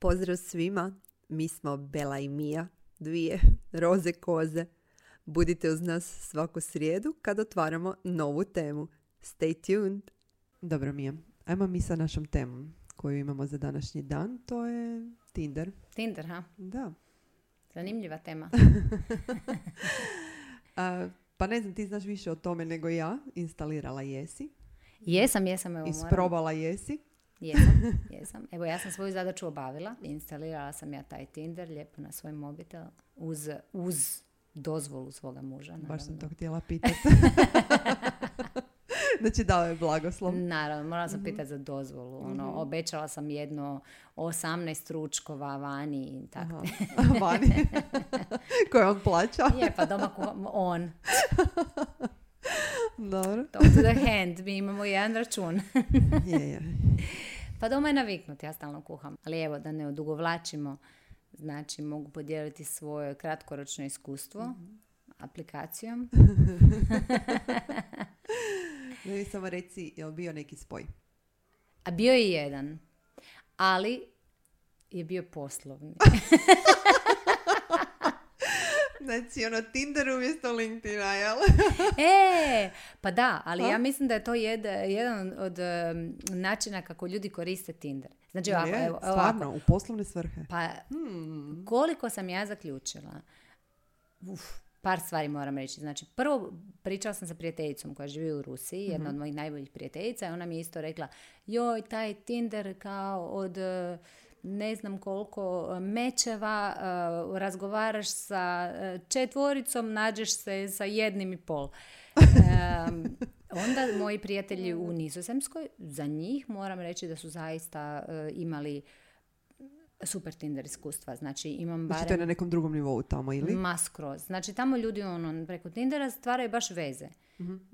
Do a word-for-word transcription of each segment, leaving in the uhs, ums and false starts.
Pozdrav svima, mi smo Bela i Mija, dvije roze koze. Budite uz nas svaku srijedu kad otvaramo novu temu. Stay tuned. Dobro, Mija, ajmo mi sa našom temom koju imamo za današnji dan, to je Tinder. Tinder, ha? Da. Zanimljiva tema. A, pa ne znam, ti znaš više o tome nego ja. Instalirala jesi. Jesam, jesam. Evo, Isprobala jesi. Jesam, jesam. Evo, ja sam svoju zadaću obavila. Instalirala sam ja taj Tinder lijepo na svoj mobitel uz, uz dozvolu svoga muža. Naravno. Baš sam to htjela pitati. Znači dao je blagoslov. Naravno, morala sam pitati za dozvolu. Ono, mm-hmm. Obećala sam jedno osamnaest ručkova vani i tako. Vani? Koje on plaća? Je, pa doma kuham on. Dobro. Talk to the hand, mi imamo jedan račun. je, je. Pa doma je naviknut, ja stalno kuham. Ali evo, da ne odugovlačimo, znači mogu podijeliti svoje kratkoročno iskustvo mm-hmm. aplikacijom. Ne mi samo reci, je li bio neki spoj? A bio je jedan, ali je bio poslovni. Znači, ono, Tinder umjesto LinkedIna, jel? E, pa da, ali ha? ja mislim da je to jed, jedan od um, načina kako ljudi koriste Tinder. Znači, ovako, je, evo, stvarno, ovako. u poslovne svrhe. Pa, hmm. koliko sam ja zaključila, uf, par stvari moram reći. Znači, prvo pričala sam sa prijateljicom koja živi u Rusiji, jedna mm-hmm. od mojih najboljih prijateljica, i ona mi je isto rekla, joj, taj Tinder kao od ne znam koliko mečeva, uh, razgovaraš sa četvoricom, nađeš se sa jednim i pol. Um, onda moji prijatelji u Nizozemskoj, za njih moram reći da su zaista uh, imali super Tinder iskustva. Znači, imam barem... Znači, to je na nekom drugom nivou tamo, ili? Ma skroz. Znači, tamo ljudi ono, preko Tindera stvaraju baš veze. Mm-hmm.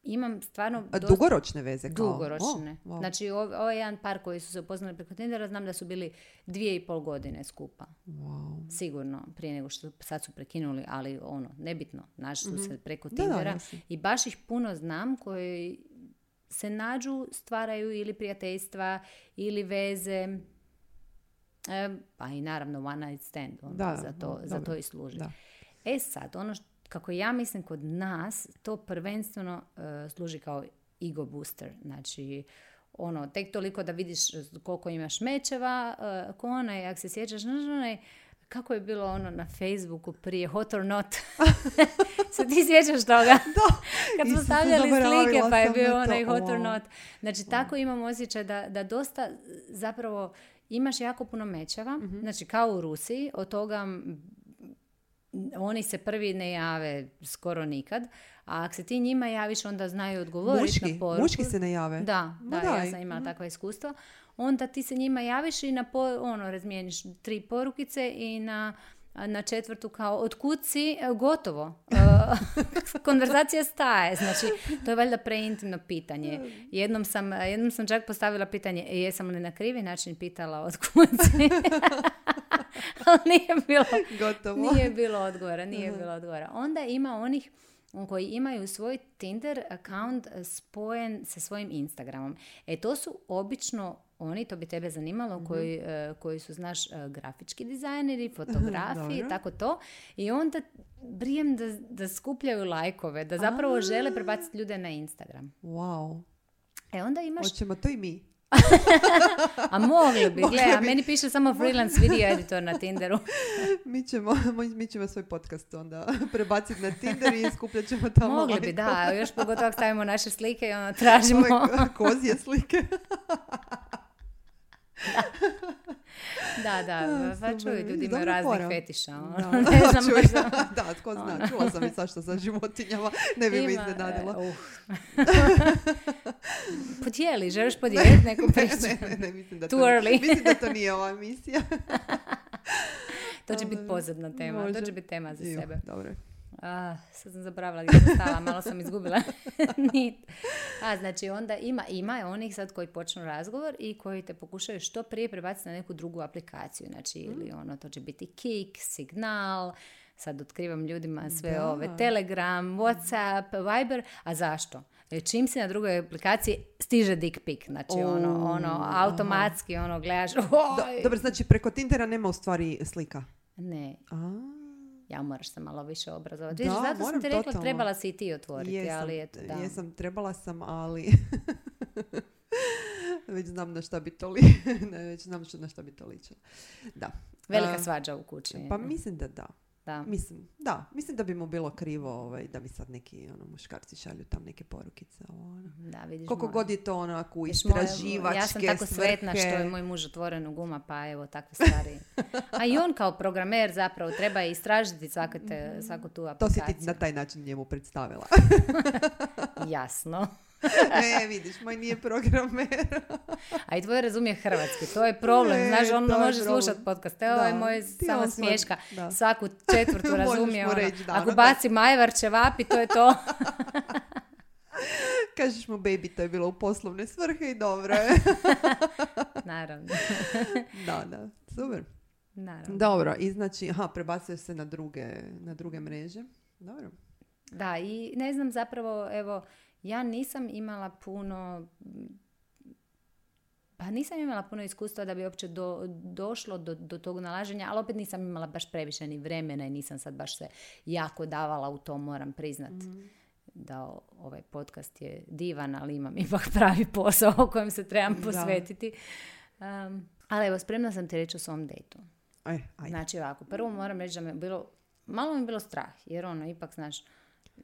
Imam stvarno... A dosta... dugoročne veze? Kao? Dugoročne. Oh, wow. Znači, ovo, ovo je jedan par koji su se upoznali preko Tindera. Znam da su bili dvije i pol godine skupa. Wow. Sigurno. Prije nego što sad su prekinuli, ali ono, nebitno. Našli su mm-hmm. se preko Tindera. Da, da, i baš ih puno znam koji se nađu, stvaraju ili prijateljstva, ili veze... E, pa i naravno one night stand, ono, da, za, to, da, za to i služi. Da. E sad, ono što, kako ja mislim kod nas, to prvenstveno uh, služi kao ego booster. Znači, ono, tek toliko da vidiš koliko imaš mečeva, uh, ko onaj, ako se sjećaš, onaj, kako je bilo ono na Facebooku prije Hot or Not. Se ti sjećaš toga? Da. Kad smo stavljali slike pa je bio onaj Hot or Not. Znači, wow. Tako imam osjećaj da, da dosta zapravo imaš jako puno mečeva, mm-hmm. znači kao u Rusiji, od toga oni se prvi ne jave skoro nikad, a ako se ti njima javiš, onda znaju odgovoriti na poruku. Muški se ne jave? Da, da, no, ja sam imala mm-hmm. takva iskustva. Onda ti se njima javiš i na po, ono, razmijeniš tri porukice i na, na četvrtu kao otkud si, gotovo. Konverzacija staje. Znači, to je valjda preintimno pitanje. Jednom sam, jednom sam čak postavila pitanje, jesam li na krivi način pitala otkud si? Ali nije bilo, gotovo. Nije bilo odgovora. Nije bilo odgovora. Onda ima onih koji imaju svoj Tinder account spojen sa svojim Instagramom. E to su obično oni, to bi tebe zanimalo, mm-hmm. koji, uh, koji su, znaš, uh, grafički dizajneri, fotografi, tako to. I onda brijem da, da skupljaju lajkove, da zapravo A-a. žele prebaciti ljude na Instagram. Wow. E onda imaš... Hoćemo to i mi. A mogli bi, gle, a meni piše samo freelance video editor na Tinderu. mi, ćemo, mi ćemo svoj podcast onda prebaciti na Tinder i skupljat ćemo tamo mogli lajkove. Bi, da, još pogotovo stavimo naše slike i ono tražimo... Ove kozije slike. Da, da, pa čuju, ljudi imaju raznih fora. Fetiša. Da, ne znam čuj, možda... da, tko zna, čula sam i svašta sa životinjama, ne bi Ima, me iznenadila. Uh. Podijeli, želiš podijeliti neku priču? Ne, ne, ne, mislim da, Too to, early. mislim da to nije ova emisija. To će biti posebna tema, Može. To će biti tema za jo, sebe. Dobro. Ah, sad sam zaboravila gdje sam stala, malo sam izgubila nit. A, znači onda ima, ima onih sad koji počnu razgovor i koji te pokušaju što prije prebaciti na neku drugu aplikaciju. Znači, mm. ili ono, to će biti Kik, Signal, sad otkrivam ljudima sve Da. ove Telegram, Whatsapp, Viber, a zašto? E, Čim si na drugoj aplikaciji stiže dick pic, znači O, ono, ono, automatski ono gledaš, Do, oj! dobro, znači preko Tindera nema u stvari slika. Ne, A, ja moraš se malo više obrazovati. Da, Vidiš, zato sam moram ti rekla, totalno. trebala si i ti otvoriti, jesam, ali eto, da. jesam, trebala sam, ali već znam na šta bi to li... ne, već znam što- na šta bi to ličilo. Da. Velika A, svađa u kući. Pa mislim da da. Da. Mislim, da, mislim da bi mu bilo krivo ovaj, da mi sad neki ono, muškarci šalju tam neke porukice. Ovo, ono. Da, vidiš, Koliko moja- god je to onako u vidiš, moja- istraživačke Ja sam tako sretna svrhe. što je moj muž otvoren u guma, pa evo takve stvari. A i on kao programer zapravo treba istražiti svaku, te, svaku tu To si aplikaciju. ti na taj način njemu predstavila. Jasno. Ne, vidiš, moj nije programer. A i tvoj razumije hrvatski, to je problem. Ne, Znaš, on to je može problem. slušati podcast. Evo je Da, moj ti samo on svoj- smješka. da. Svaku četvrtu Možeš razumije. mu Ono. reći, da, Ako ono, baci majvar, ćevapi, to je to. Kažeš mu, baby, to je bilo u poslovne svrhe i dobro je. Naravno. Da, da, super. Naravno. Dobro, i znači, aha, prebacuje se na druge, na druge mreže. Dobro. Da, i ne znam zapravo, evo, ja nisam imala puno, pa nisam imala puno iskustva da bi uopće do, došlo do, do tog nalaženja, ali opet nisam imala baš previše ni vremena i nisam sad baš se jako davala u to, moram priznat. Mhm. Da o- ovaj podcast je divan, ali imam ipak pravi posao o kojem se trebam Da. posvetiti. Um, ali evo, spremna sam ti reći o svom dejtu. E, ajde. Znači ovako, prvo moram reći da me bilo, malo mi je bilo strah, jer ono, ipak, znaš,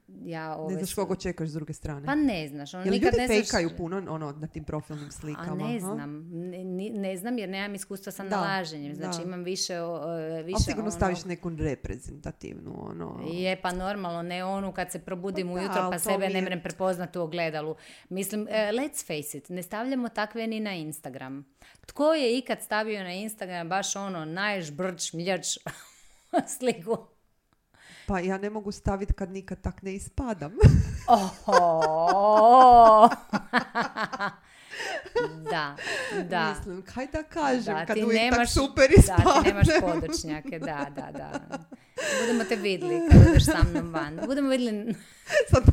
ja ove... Ne znaš su- koga čekaš s druge strane. Pa ne znaš, ono, Jel nikad ljudi ne znaš... fejkaju puno ono, na tim profilnim slikama? A ne aha? znam, ne, ni- ne znam jer nemam iskustva sa Da, nalaženjem, znači da. imam više, o, e, više Ali sigurno ono- staviš neku reprezentativnu, ono... Je, pa normalno, ne onu kad se probudim Pa da, ujutro ali pa to sebe mi ne je- mrem prepoznat u ogledalu. Mislim, e, let's face it, ne stavljamo takve ni na Instagram. Tko je ikad stavio na Instagram baš ono najžbrč, mljač sliku? Pa ja ne mogu staviti kad nikad tak ne ispadam. Oho! Da, da. Mislim, kaj da kažem, Da, kad ti uvijek tak nemaš, super da, ispadnem. ti nemaš podočnjake, da, da, da. Budemo te vidjeli kad ideš sa mnom van. Budemo vidjeli, Sad,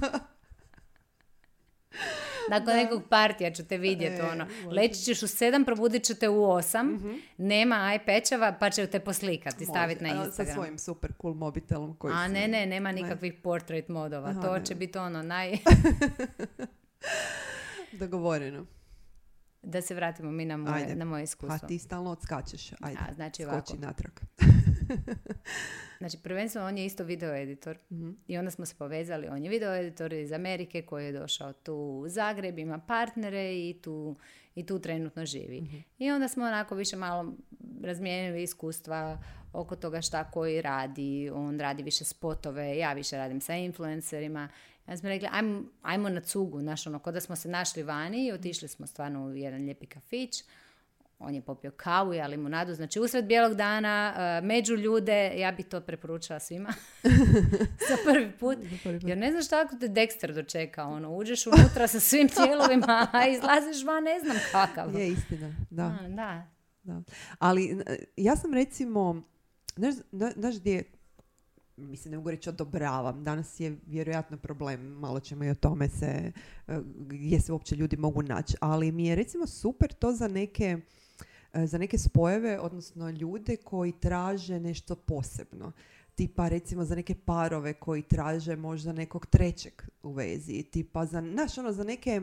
nakon nekog partija ću te vidjeti, E, ono. može. Leći ćeš u sedam, probudit ću te u osam, Mhm. nema aj pečava, pa će te poslikati, staviti na može, a, Instagram. Sa svojim super cool mobitelom koji A si- ne, ne, nema nikakvih portrait modova. Aha, to ne. će biti ono naj... Dogovoreno. Da se vratimo mi na moje, Ajde. na moje A iskustvo. ti stalno odskačeš. Ajde, A, znači ovako. skoči natrag. Znači, prvenstveno on je isto video editor Mhm. i onda smo se povezali. On je video editor iz Amerike koji je došao tu u Zagreb, ima partnere i tu, i tu trenutno živi. Mhm. I onda smo onako više malo razmijenili iskustva oko toga šta koji radi. On radi više spotove, ja više radim sa influencerima. Ja smo rekli, ajmo, ajmo na cugu, znaš, ono, ko da smo se našli vani i otišli smo stvarno u jedan lijepi kafić. On je popio kavu, ja limunadu, znači usred bijelog dana, uh, među ljude, ja bi to preporučila svima za prvi put. Jer ne znaš tako te Dexter dočeka, ono, uđeš unutra sa svim tijelovima, a izlaziš van, ne znam kakav. Je istina, da. A, da. Da. Ali n- ja sam recimo, znaš, zna- znaš gdje, mislim, ne mogu reći odobravam, danas je vjerojatno problem, malo ćemo i o tome se, eh, gdje se uopće ljudi mogu naći, ali mi je recimo super to za neke, eh, za neke spojeve, odnosno ljude koji traže nešto posebno. Tipa recimo za neke parove koji traže možda nekog trećeg u vezi, tipa za, znaš, ono, za neke...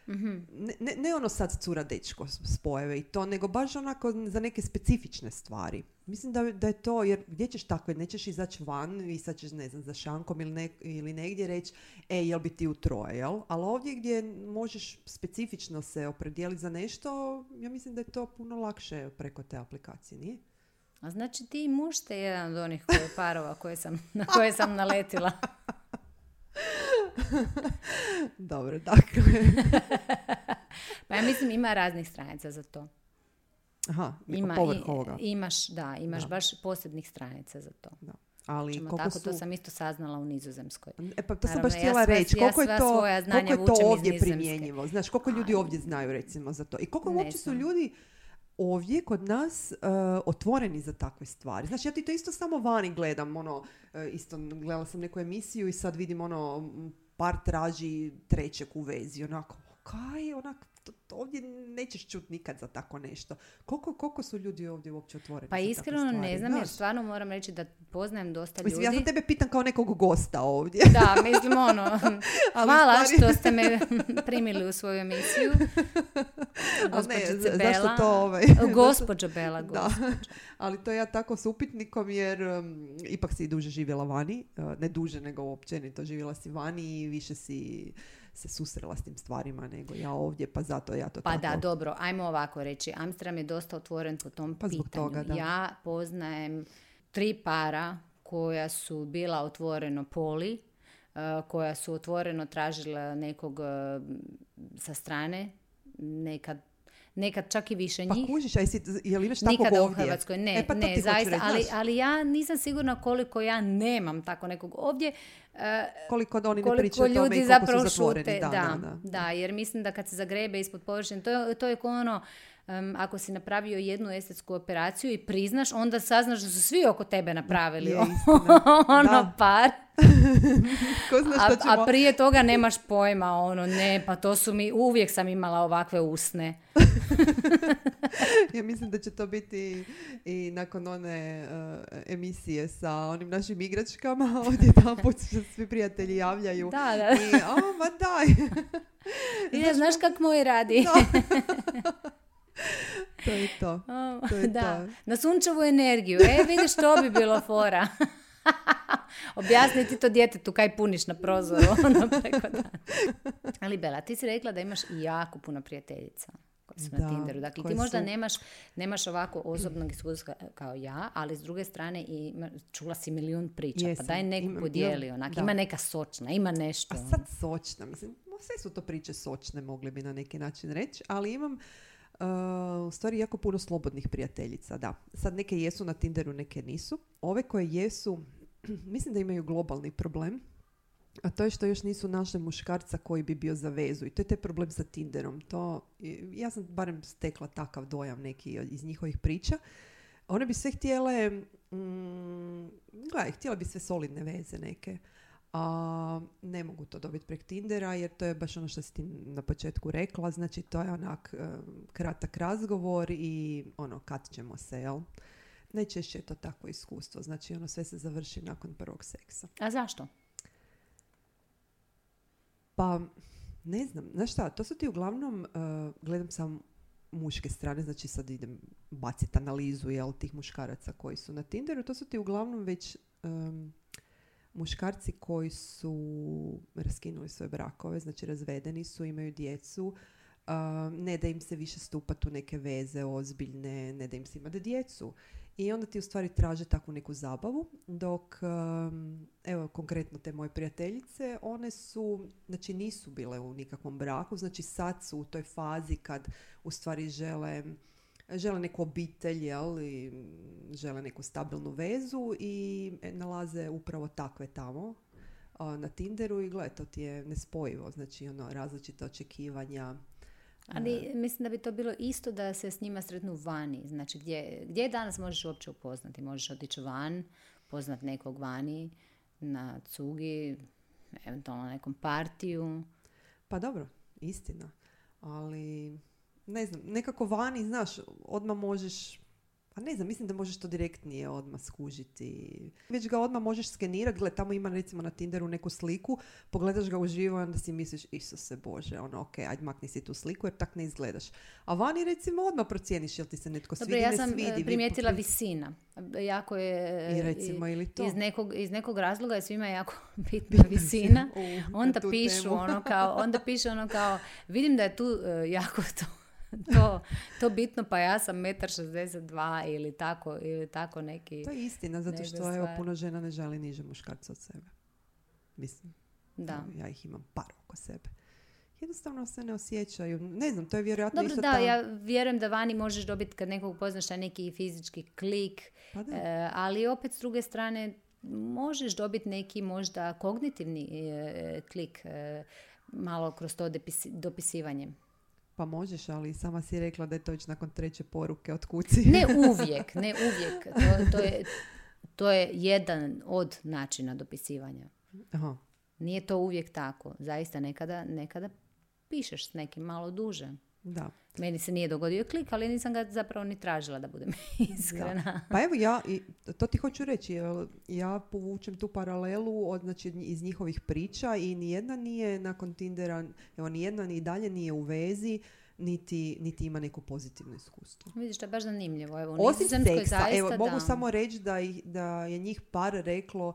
Mhm. Ne, ne, ne ono sad cura dečko s- spojeve i to, nego baš onako za neke specifične stvari. Mislim da, da je to, jer gdje ćeš takve, nećeš izaći van i sad ćeš, ne znam, za šankom ili, ne, ili negdje reći, e, jel bi ti u troje, jel? Ali ovdje gdje možeš specifično se opredijeliti za nešto, ja mislim da je to puno lakše preko te aplikacije, nije? A znači ti muž ste jedan od onih koje, parova koje sam, na koje sam naletila. Dobro, dakle. Pa ja mislim ima raznih stranica za to. Aha, Ima, povrh i- ovoga. imaš, da, imaš Da. baš posebnih stranica za to. Da. Ali Ćemo koliko tako, su... to sam isto saznala u Nizozemskoj. E pa to sam Naravno, baš ja htjela sva- reći. ja Koliko je sva to, svoja znanja koliko je to vučem iz ovdje Nizozemske. primjenjivo? Znaš, koliko ljudi A, ovdje znaju recimo za to? I koliko ne uopće su znam. ljudi ovdje kod nas uh, otvoreni za takve stvari. Znači, ja ti to isto samo vani gledam, ono, uh, isto gledala sam neku emisiju i sad vidim, ono, par traži trećeg u vezi, onako, kaj, onak, to, to ovdje nećeš čuti nikad za tako nešto. Koliko, koliko su ljudi ovdje uopće otvoreni? Pa iskreno ne znam, jer stvarno moram reći da poznajem dosta mislim, ljudi. Ja sam tebe pitam kao nekog gosta ovdje. Da, mislim ono, hvala stvari... što ste me primili u svoju emisiju. Gospođice Bela. Zašto to ovaj... Gospođa Bela, gospođa. Da, ali to ja tako s upitnikom jer um, ipak si duže živjela vani. Uh, ne duže, nego općenito živjela si vani i više si se susrela s tim stvarima nego ja ovdje, pa zato ja to pa tako... Pa da, dobro, ajmo ovako reći. Amsterdam je dosta otvoren po tom pa pitanju. Toga, da. Ja poznajem tri para koja su bila otvoreno poli, uh, koja su otvoreno tražila nekog uh, sa strane, nekad Nekad čak i više njih. Pa kužiš, a jesi, jel imaš takvog Nikada ovdje? u Hrvatskoj, ne, e, pa ne, zaista, reći, ali, ali ja nisam sigurna koliko ja nemam tako nekog ovdje. Uh, koliko oni koliko ne pričaju o tome i koliko su zatvoreni. Šute, da, da, da, da. da, jer mislim da kad se zagrebe ispod površine, to je, to je kao ono, um, ako si napravio jednu estetsku operaciju i priznaš, onda saznaš da su svi oko tebe napravili. Je, ono da. par. Ko zna a, ćemo... a prije toga nemaš pojma, ono, ne, pa to su mi, uvijek sam imala ovakve usne. Ja mislim da će to biti i nakon one uh, emisije sa onim našim igračkama, ovdje tamo put se svi prijatelji javljaju. Da, da. I, o, ma daj. I ne znaš kak moj radi. To je to. O, to je da. to. Na sunčevu energiju. E, vidiš, to bi bilo fora. Objasni ti to djetetu kaj puniš na prozoru. Ono preko dana. Ali Bela, ti si rekla da imaš jako puno prijateljica koje su da, na Tinderu. Dakle, ti možda su... nemaš, nemaš ovako osobnog iskustva kao ja, ali s druge strane i čula si milijun priča. Jesam, pa daj neku imam, podijeli. imam, Onak, da. ima neka sočna, ima nešto. A sad sočna. Mislim, sve su to priče sočne, mogli bi na neki način reći, ali imam Uh, u stvari jako puno slobodnih prijateljica, da. Sad neke jesu na Tinderu, neke nisu. Ove koje jesu, mislim da imaju globalni problem, a to je što još nisu našli muškarca koji bi bio za vezu. I to je taj problem sa Tinderom. To, ja sam barem stekla takav dojam neki iz njihovih priča. One bi sve htjele, mm, gledaj, htjele bi sve solidne veze neke. A ne mogu to dobiti prek Tindera jer to je baš ono što si ti na početku rekla, znači to je onak um, kratak razgovor i ono kad ćemo se, jel? Najčešće je to takvo iskustvo, znači ono sve se završi nakon prvog seksa. A zašto? Pa ne znam, znaš šta, to su ti uglavnom, uh, gledam sam muške strane, znači sad idem baciti analizu, jel, tih muškaraca koji su na Tinderu, to su ti uglavnom već um, muškarci koji su raskinuli svoje brakove, znači razvedeni su, imaju djecu, uh, ne da im se više stupati u neke veze ozbiljne, ne da im se imati djecu. I onda ti u stvari traže takvu neku zabavu, dok, um, evo, konkretno te moje prijateljice, one su, znači nisu bile u nikakvom braku, znači sad su u toj fazi kad u stvari žele žele neku obitelj, jel, i žele neku stabilnu vezu i nalaze upravo takve tamo a, na Tinderu i gledaj, to ti je nespojivo, znači ono, različite očekivanja. Ali mislim da bi to bilo isto da se s njima sretnu vani, znači gdje, gdje danas možeš uopće upoznati, možeš otići van, poznat nekog vani, na cugi, eventualno na nekom partiju. Pa dobro, istina, ali ne znam, nekako vani, znaš, odmah možeš, a ne znam, mislim da možeš to direktnije odmah skužiti. Već ga odmah možeš skenirati, gled, tamo ima recimo na Tinderu neku sliku, pogledaš ga uživo i onda si misliš, Isuse Bože, ono, ok, ajde makni si tu sliku jer tak ne izgledaš. A vani recimo odmah procijeniš jel ti se netko Dobro, svidi, ja ne sam svidi. primijetila vi... visina. Jako je, I recimo, ili to? Iz nekog, iz nekog razloga je svima jako bitna visina. U, onda pišu temu. ono kao, onda piše ono kao, vidim da je tu uh, jako to To, to bitno, pa ja sam jedan šezdeset dva ili tako, ili tako neki... To je istina, zato što evo, puno žena ne želi niže muškarca od sebe. Mislim, da. Ja ih imam par oko sebe. Jednostavno se ne osjećaju. Ne znam, to je vjerojatno Dobro, isto da, ta... ja vjerujem da vani možeš dobiti kad nekog poznaš neki fizički klik, pa e, ali opet s druge strane možeš dobiti neki možda kognitivni e, klik e, malo kroz to dopisi, dopisivanje. pa možeš, ali sama si rekla da je to već nakon treće poruke od kuci. Ne uvijek, ne uvijek. To, to, je, to je jedan od načina dopisivanja. Aha. Nije to uvijek tako. Zaista nekada, nekada pišeš s nekim malo duže. Da. Meni se nije dogodio klik, ali nisam ga zapravo ni tražila, da budem iskrena. Da. Pa evo ja, i to ti hoću reći, ja povučem tu paralelu od, znači, iz njihovih priča i nijedna nije nakon Tindera, evo nijedna ni dalje nije u vezi, niti, niti ima neko pozitivno iskustvo. Vidiš, to je baš zanimljivo. Evo, osim seksa, zaista, evo, mogu da. samo reći da, da je njih par reklo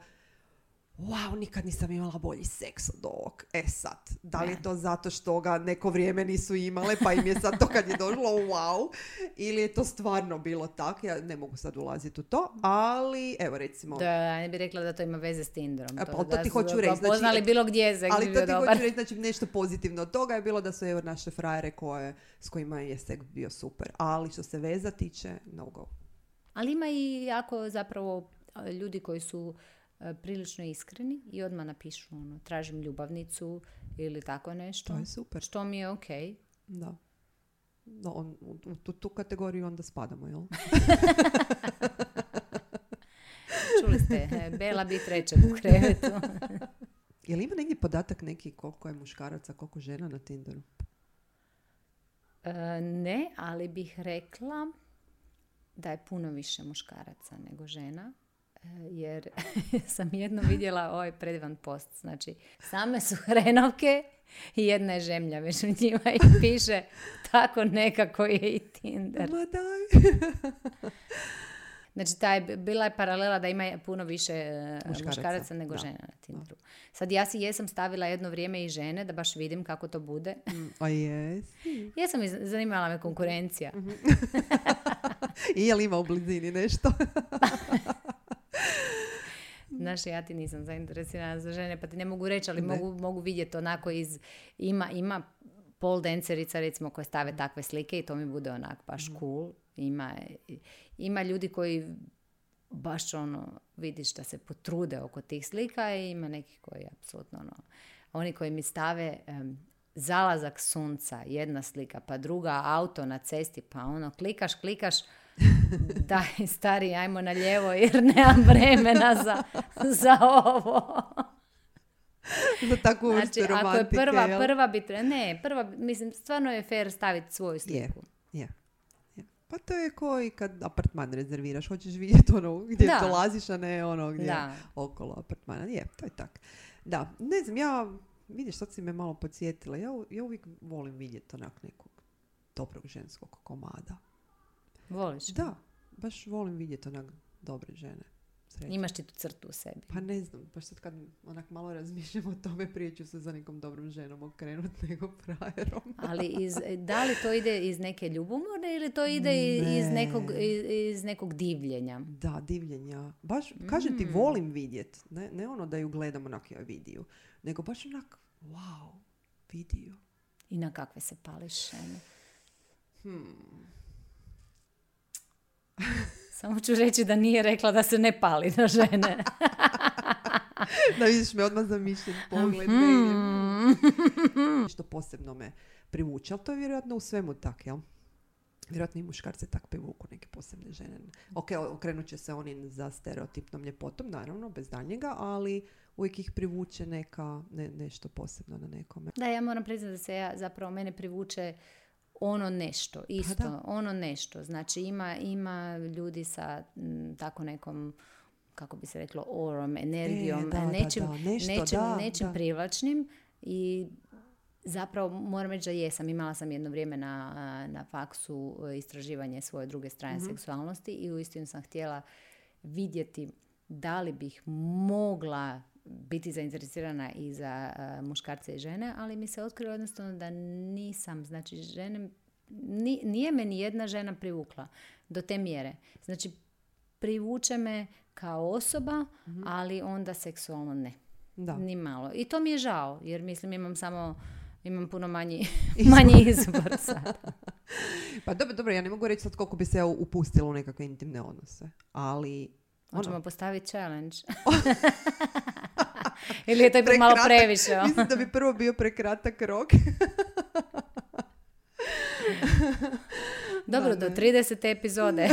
wow, nikad nisam imala bolji seks od ovog. E sad, da li je to zato što ga neko vrijeme nisu imale, pa im je sad to kad je došlo wow, ili je to stvarno bilo tako, ja ne mogu sad ulaziti u to, ali evo recimo... Da, ne bih rekla da to ima veze s Tinderom. To, to, to da ti su hoću reći. Znači, poznali bilo gdje se. Ali to ti dobar. hoću reći, znači nešto pozitivno od toga je bilo da su evo naše frajere koje, s kojima je seks bio super, ali što se veza tiče, no go. Ali ima i jako zapravo ljudi koji su prilično iskreni i odmah napišu ono, tražim ljubavnicu ili tako nešto. To je super. Što mi je ok. Da. No, on, u tu, tu kategoriju onda spadamo, jel? Čuli ste, Bela bi trećeg u krevetu. Je li ima negdje podatak neki koliko je muškaraca, koliko žena na Tinderu? E, ne, ali bih rekla da je puno više muškaraca nego žena. Jer sam jedno vidjela ovaj predivan post. Znači, same su hrenovke i jedna je žemlja među njima i piše tako nekako je i Tinder. Ma daj. Znači, taj, bila je paralela da ima puno više muškaraca, muškaraca nego da. žena na Tinderu. Sad ja si jesam stavila jedno vrijeme i žene da baš vidim kako to bude. A jesi. Jesam i zanimala me konkurencija. I je li ima u blizini nešto? Znaš, ja ti nisam zainteresirana za žene, pa ti ne mogu reći, ali mogu, mogu vidjeti onako iz... Ima, ima pole dancerica, recimo, koje stave takve slike i to mi bude onak baš cool. Ima, ima ljudi koji baš ono, vidiš da se potrude oko tih slika i ima neki koji apsolutno ono... Oni koji mi stave um, zalazak sunca, jedna slika, pa druga auto na cesti, pa ono, klikaš, klikaš, daj stari, ajmo na lijevo jer nemam vremena za, za ovo. Za takvu znači, vrstu romantike. Ako je prva, jel? prva bi tre... Ne, prva, mislim, stvarno je fair staviti svoju sliku. Je, je. je. Pa to je kao i kad apartman rezerviraš. Hoćeš vidjeti ono gdje da. dolaziš, a ne ono gdje da. okolo apartmana. Je, to je tak. Da, ne znam, ja, vidiš, sad si me malo podsjetila. Ja, ja uvijek volim vidjeti onak nekog dobrog ženskog komada. Voliš? Da, baš volim vidjeti onak dobre žene. Srećne. Imaš ti tu crtu u sebi. Pa ne znam, baš sad kad onak malo razmišljam o tome, prije ću se za nekom dobrom ženom okrenuti nego frajerom. Ali iz, da li to ide iz neke ljubomore ili to ide ne. iz, nekog, iz, iz nekog divljenja? Da, divljenja. Baš, kažem mm. ti, volim vidjet. Ne, ne ono da ju gledam onak joj vidiju, nego baš onak, wow, vidiju. I na kakve se pališ žene? Hmm. Samo ću reći da nije rekla da se ne pali na žene. Da vidiš me odmah zamišljen pogled. Mm. Što posebno me privuče, ali to je vjerojatno u svemu tak, jel? Vjerojatno i muškarce tak privuku neke posebne žene. Ok, okrenut će se oni za stereotipnom ljepotom, naravno, bez daljnjega, ali uvijek ih privuče neka, ne, nešto posebno na nekome. Da, ja moram priznati da se ja, zapravo mene privuče ono nešto, isto, ono nešto. Znači ima, ima ljudi sa m, tako nekom, kako bi se reklo, orom, energijom, e, da, nečim, da, da. Nešto, nečim, da, nečim da. privlačnim i zapravo moram reći da jesam. Imala sam jedno vrijeme na, na faksu istraživanje svoje druge strane mm-hmm. seksualnosti i uistinu sam htjela vidjeti da li bih mogla biti zainteresirana i za uh, muškarce i žene, ali mi se otkrilo jednostavno da nisam. Znači, žene, ni, nije me ni jedna žena privukla do te mjere. Znači, privuče me kao osoba, mm-hmm. ali onda seksualno ne. Da. Ni malo. I to mi je žao, jer mislim imam samo imam puno manji, manji izbor sada. Pa dobro, dobro, ja ne mogu reći sad koliko bi se upustila u nekakve intimne odnose, ali... Možemo ono... postaviti challenge. Ili je to ipak malo previše? Mislim da bi prvo bio prekratak rok. Dobro, da, do tridesete epizode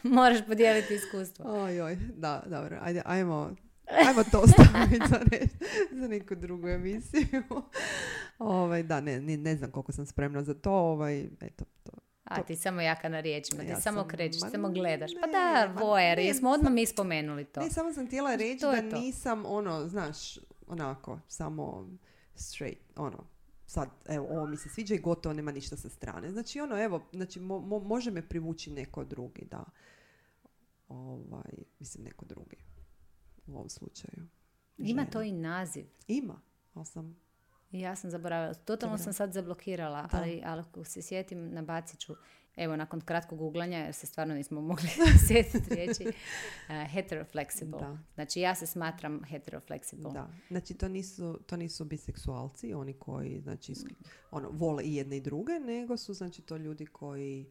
moraš podijeliti iskustvo. Oj, oj, da, dobro. Ajde, ajmo, ajmo to staviti za, ne, za neku drugu emisiju. ovaj, da, ne, ne, ne znam koliko sam spremna za to. Ovaj, eto, to. A ti samo jaka na riječima, ti Ja samo sam- krećeš, ma samo gledaš. Pa ne, da, ma vojer, ne, jesmo odmah sam- mi spomenuli to. Ne, samo sam htjela reći Što je da to? nisam, ono, znaš, onako, samo straight, ono, sad, evo, ovo mi se sviđa i gotovo, nema ništa sa strane. Znači, ono, evo, znači, mo, mo- može me privući neko drugi, da. Ovaj, mislim, neko drugi. U ovom slučaju. Ima Žena. to i naziv. Ima, ali sam... I ja sam zaboravila. Totalno Dobro. sam sad zablokirala, Da. ali, ali ako se sjetim, nabacit ću. Evo, nakon kratkog googlanja, jer se stvarno nismo mogli sjetiti riječi, uh, heteroflexible. Da. Znači, ja se smatram heteroflexible. Da, znači to nisu, to nisu biseksualci, oni koji znači isk- ono, vole i jedne i druge, nego su znači to ljudi koji,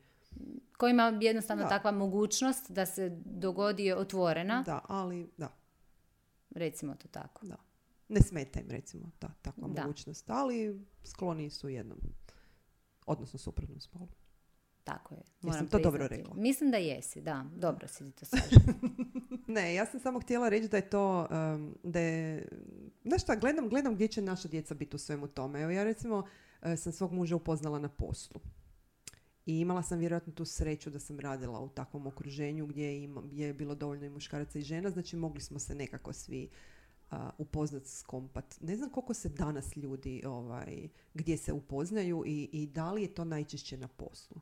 Koji ima jednostavno Da. takva mogućnost da se dogodi otvorena, da, ali da, recimo to tako. da. Ne smeta im recimo ta takva Da. mogućnost, ali skloni su jednom, odnosno suprotnom spolu. Tako je. Jesam to dobro priznati. rekla? Mislim da jesi, da. Dobro si ti to slažem. Ne, ja sam samo htjela reći da je to, um, da je, znaš šta, gledam, gledam gdje će naša djeca biti u svemu tome. Evo ja recimo uh, sam svog muža upoznala na poslu. I imala sam vjerojatno tu sreću da sam radila u takvom okruženju gdje, ima, gdje je bilo dovoljno i muškaraca i žena, znači mogli smo se nekako svi uh, upoznat, skompat. Ne znam koliko se danas ljudi, ovaj, gdje se upoznaju i, i da li je to najčešće na poslu.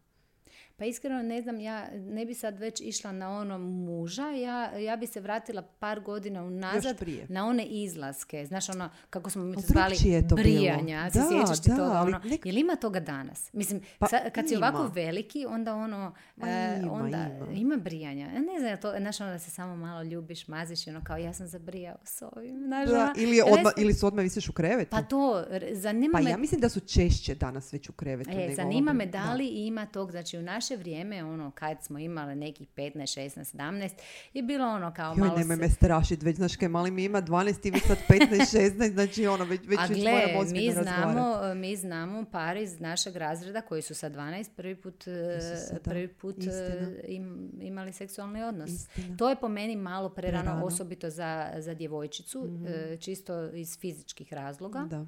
Pa iskreno ne znam, ja ne bi sad već išla na ono muža, ja, ja bi se vratila par godina unazad Još prije. na one izlaske. Znaš ono, kako smo mi to A zvali, drukčije je to bilo. brijanja. Se Da, sjećaš ti da, toga? ali Ono, nek- Jel ima toga danas? Mislim, Pa sa- kad si ima. ovako veliki, onda ono, Ma e, ima, onda ima. brijanja. Ja ne znam, to, znaš ono da se samo malo ljubiš, maziš i ono kao ja sam zabrijao s ovim. Znaš, Da, ono, ili, je ja ne odmah, znam- ili su odmah visiš u krevetu. Pa to, r- zanima Pa me... ja mislim da su češće danas već u krevetu. E, nego zanima ovo- me da li ima tog, znači u naše vrijeme, ono, kad smo imali nekih petnaest, šesnaest, sedamnaest, je bilo ono kao Joj, malo... nemoj se- me strašit, već znaš kaj mali mi ima dvanaest i vi sad petnaest, šesnaest, znači ono, već, već, A već gle, moramo ozbiljno mi razgovarati. znamo, mi znamo par iz našeg razreda koji su sa dvanaest prvi put, e, Isuse, da. prvi put e, Istina. im, imali seksualni odnos. Istina. To je po meni malo prerano, Prerano. osobito za, za djevojčicu, e, čisto iz fizičkih razloga. Da.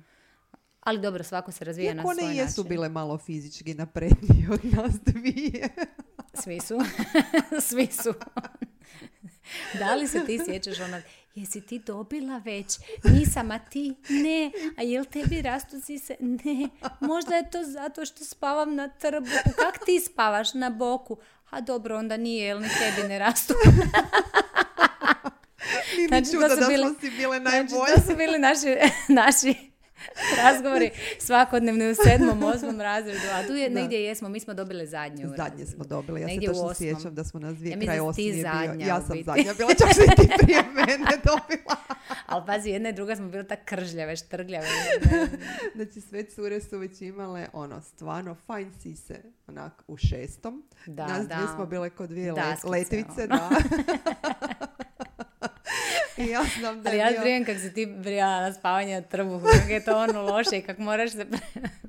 Ali dobro, svako se razvija Iako na svoj one jesu način. bile malo fizički naprednije od nas dvije. Svi su. Svi su. Da li se ti sjećaš ono, jesi ti dobila već? Nisam, a ti? Ne. A jel tebi rastu sise? Ne. Možda je to zato što spavam na trbuhu. Kak ti spavaš? Na boku. A dobro, onda nije, jel ni tebi ne rastu. Nije Znači, mi to čudo su da bili- smo si bile Znači, najbolje. to su bili naši, naši razgovori svakodnevni u sedmom, osmom razredu. A tu je Da. negdje jesmo, mi smo dobili zadnje u Zadnje razredu. smo dobili, ja Negdje se u točno osmom. sjećam da smo nas dvije Ja kraj mislim da si ti osmi je bio. zadnja Ja u sam biti. zadnja bila, čak si ti prije mene dobila. Ali pazi, jedna i druga smo bili tak kržljave, štrgljave. Znači sve cure su već imale ono stvarno fajn sise onak u šestom. Da, Nas da. dvije smo bile kod dvije le- Daskice, letvice, ono. da. I ja znam da Ali je ja bio... vrijem kak se ti brijala na spavanje na trbuhu, kako je to ono loše i kak moraš se pre,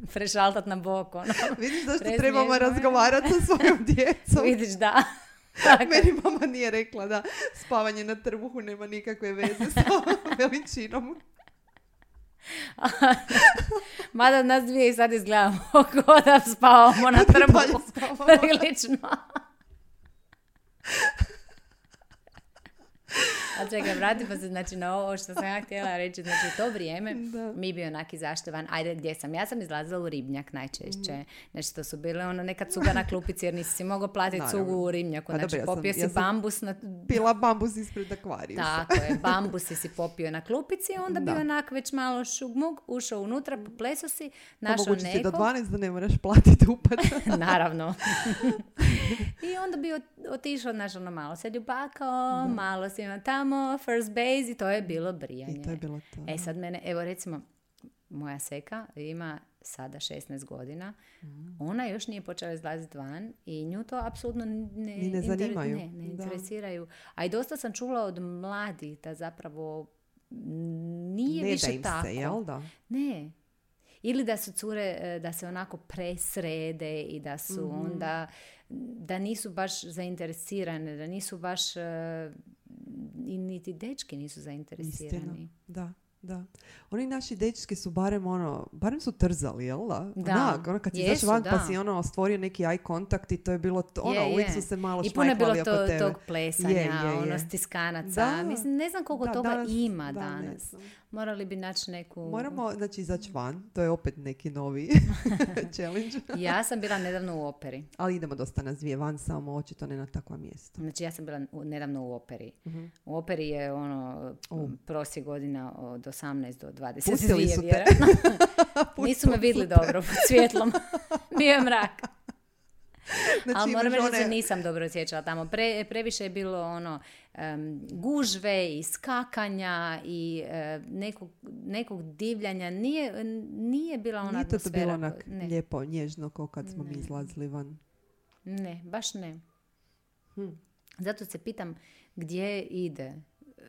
prešaltat na bok. Ono. Vidiš zašto Presmiješno trebamo je. razgovarati sa svojom djecom. Vidiš, da. Tako. Meni mama nije rekla da spavanje na trbuhu nema nikakve veze sa veličinom. Mada nas dvije i sad izgledamo kao da spavamo na Dalje trbuhu. spavamo. Prilično. A čekaj, vratimo se znači na ovo što sam ja htjela reći. Znači, to vrijeme Da. mi bio onak izašli van. Ajde, gdje sam? Ja sam izlazila u Ribnjak najčešće. Znači, to su bile ono neka cuga na klupici jer nisi si mogao platiti Naravno. cugu u Ribnjaku. Pa Znači, dobro, ja sam- popio si ja sam- bambus na... Pila bambus ispred akvarijusa. Tako je, bambusi si popio na klupici, onda Da. bio onak već malo šugmug, ušao unutra, popleso si, našao Omogući ti do nekog. dvanaest da ne moraš platiti upad. Naravno. I onda bi ot- otišao, znaš, ono, malo se ljubakao, malo si ima tamo, first base i to je bilo brijanje. I to je bilo to. E sad mene, evo recimo, moja seka ima sada šesnaest godina, ona još nije počela izlaziti van i nju to apsolutno ne, Ni ne inter- zanimaju. ne, ne Da. interesiraju. A i dosta sam čula od mladih da zapravo nije Ne više da im tako. se, jel da? Ne. ili da su cure, e, da se onako presrede i da su Mhm. onda, da nisu baš zainteresirane, da nisu baš, e, i niti dečki nisu zainteresirani. Istina, da. Da. Oni naši dečki su barem ono, barem su trzali, jel da? Da. Onak, ono kad si Jesu, izašao van da. pa si ono stvorio neki eye contact i to je bilo, to, ono, Je, uvijek je. su se malo I puno je bilo šmajkali oko to, tebe. tog plesanja, Je, je, je. ono stiskanaca. Da. Mislim, ne znam koliko Da, toga danas- ima da, ne danas. znam. Morali bi naći neku... Moramo, znači, izaći van. To je opet neki novi challenge. Ja sam bila nedavno u operi. Ali idemo dosta nas dvije van, samo očito ne na takva mjesta. Znači, ja sam bila u- nedavno u operi. Mhm. U operi je ono U. prosjek godina od osamnaest do dvadeset dvije, Pustili su te. vjerojatno. Nisu me vidjeli dobro pod svjetlom. Bio je mrak. Znači, Ali moram imaš reći da se one- nisam dobro osjećala tamo. Pre, previše je bilo ono em, gužve i skakanja i e, nekog, nekog divljanja. Nije, nije bila ona Nije to, to atmosfera. bilo onak ko- ne, lijepo, nježno, kao kad smo mi Ne. izlazili van. ne, baš ne. Hm. Zato se pitam gdje ide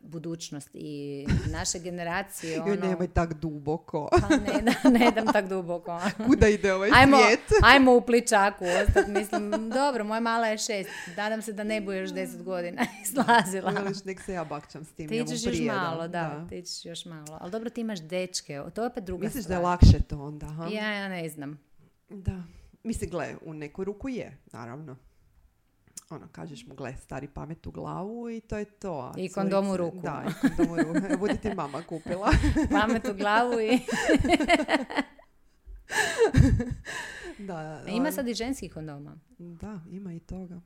budućnost i naše generacije. Joj, Ono, nemoj tak duboko. pa ne, da, ne dam tak duboko. Kuda ide ovaj Ajmo, svijet? ajmo u pličaku ostati. Mislim, dobro, moja mala je šest. Nadam se da ne bude još deset godina izlazila. Veliš, nek se ja bakćam s tim. Ti ja mu ćeš još prije, malo, da, ti ćeš još malo. Ali dobro, ti imaš dečke, to je opet druga Misliš da stvar. je lakše to onda, ha? Ja, ja ne znam. Da. Mislim, gle, u neku ruku je, naravno. Ono, kažeš mu, gle, stari pamet u glavu i to je to. A I kondom u curice- ruku. Da, i kondom u ruku. Evo, budi ti mama kupila. Pamet u glavu i... Da, Ima ali- sad i ženskih kondoma. Da, ima i toga.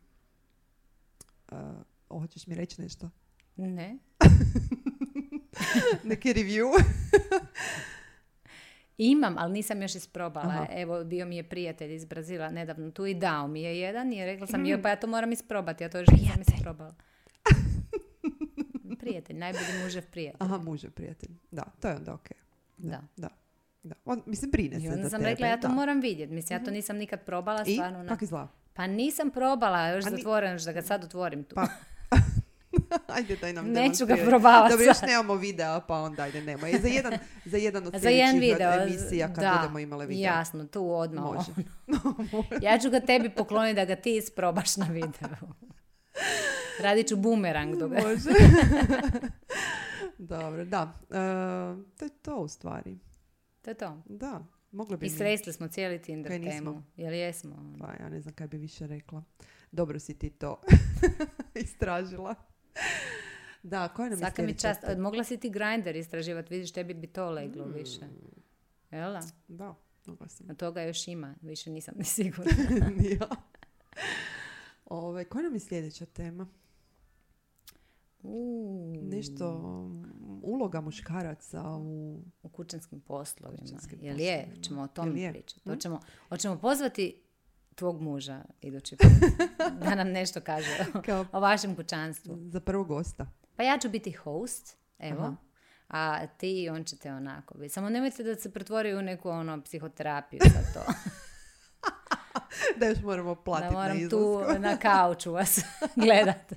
Uh, hoćeš mi reći nešto? Ne. Neki review? Imam, ali nisam još isprobala. Aha. Evo, bio mi je prijatelj iz Brazila nedavno tu i dao mi je jedan i rekla sam, Mm. joj, pa ja to moram isprobati, ja to još nisam isprobala. Prijatelj, najbolji mužev prijatelj. Aha, muže, prijatelj. Da, to je onda okej. Da. Da. da. On, mislim, brine I se onda za sam tebe. rekla, ja to da. moram vidjeti. Mislim, ja to nisam nikad probala, I? stvarno. na- Kak izgleda? Pa nisam probala, još A ni- zatvoren, još da ga sad otvorim tu. Pa, Ajde, daj nam Neću ga demonstriraj. probavati Dobro, još sad. nemamo videa, pa onda ajde, nemoj. Za jedan, za jedan od Za jedan sljedećih video. emisija kad da, budemo imale video. jasno, tu odmah. Može. Ja ću ga tebi pokloniti da ga ti isprobaš na videu. Radit ću bumerang dok ga... Može. Dobro, da. E, to je to u stvari. To je to. Da, moglo bi I mi- sresli smo cijeli Tinder Kaj nismo? temu. Jel jesmo? Pa ja ne znam kaj bi više rekla. Dobro si ti to istražila. Da, koja nam je Svaka mi sljedeća čast. tema? Mogla si ti Grindr istraživati, vidiš, tebi bi to leglo Mm. više. Jel da? Da, mogla sam. A toga još ima, više nisam ni sigurna. Ni ja. Ove, koja nam je sljedeća tema? Uuu. Nešto um, uloga muškaraca u... U kućanskim poslovima. Kućanskim Jel je? poslovima. Ćemo o Jel tome je? pričati. Hm? Hoćemo, hoćemo pozvati tvog muža idući put da nam nešto kaže o, Kao o vašem kućanstvu. za prvog gosta. Pa ja ću biti host, evo. Aha. A ti i on ćete onako biti. Samo nemojte da se pretvori u neku ono psihoterapiju za to. Da još moramo Da platiti na moram tu izlasku. na kauču vas gledat.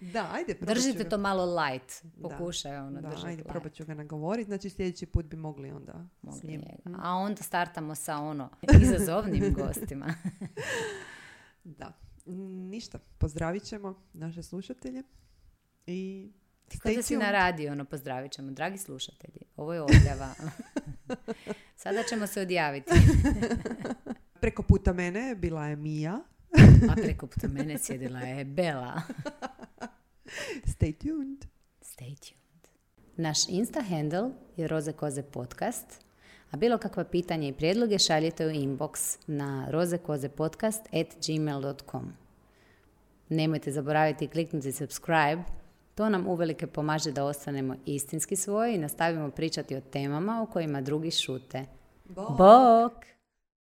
Da, ajde, probat ću Držite ga- to malo light. Da. Pokušaj ono Da, držati ajde, light. probat ću ga nagovoriti. Znači sljedeći put bi mogli onda s Mogli njim. njega. A onda startamo sa ono izazovnim gostima. Da. Mm, Ništa, pozdravit ćemo naše slušatelje i Kao da stay si na tuned. radiju, ono, pozdravit ćemo. Dragi slušatelji, ovo je odjava. Sada ćemo se odjaviti. Preko puta mene bila je Mija. A preko puta mene sjedila je Bela. Stay tuned. Stay tuned. Naš Insta handle je Roze Koze podcast, a bilo kakva pitanja i prijedloge šaljite u inbox na rozekozepodcast at gmail dot com. Nemojte zaboraviti kliknuti subscribe, to nam uvelike pomaže da ostanemo istinski svoji i nastavimo pričati o temama o kojima drugi šute. Bok!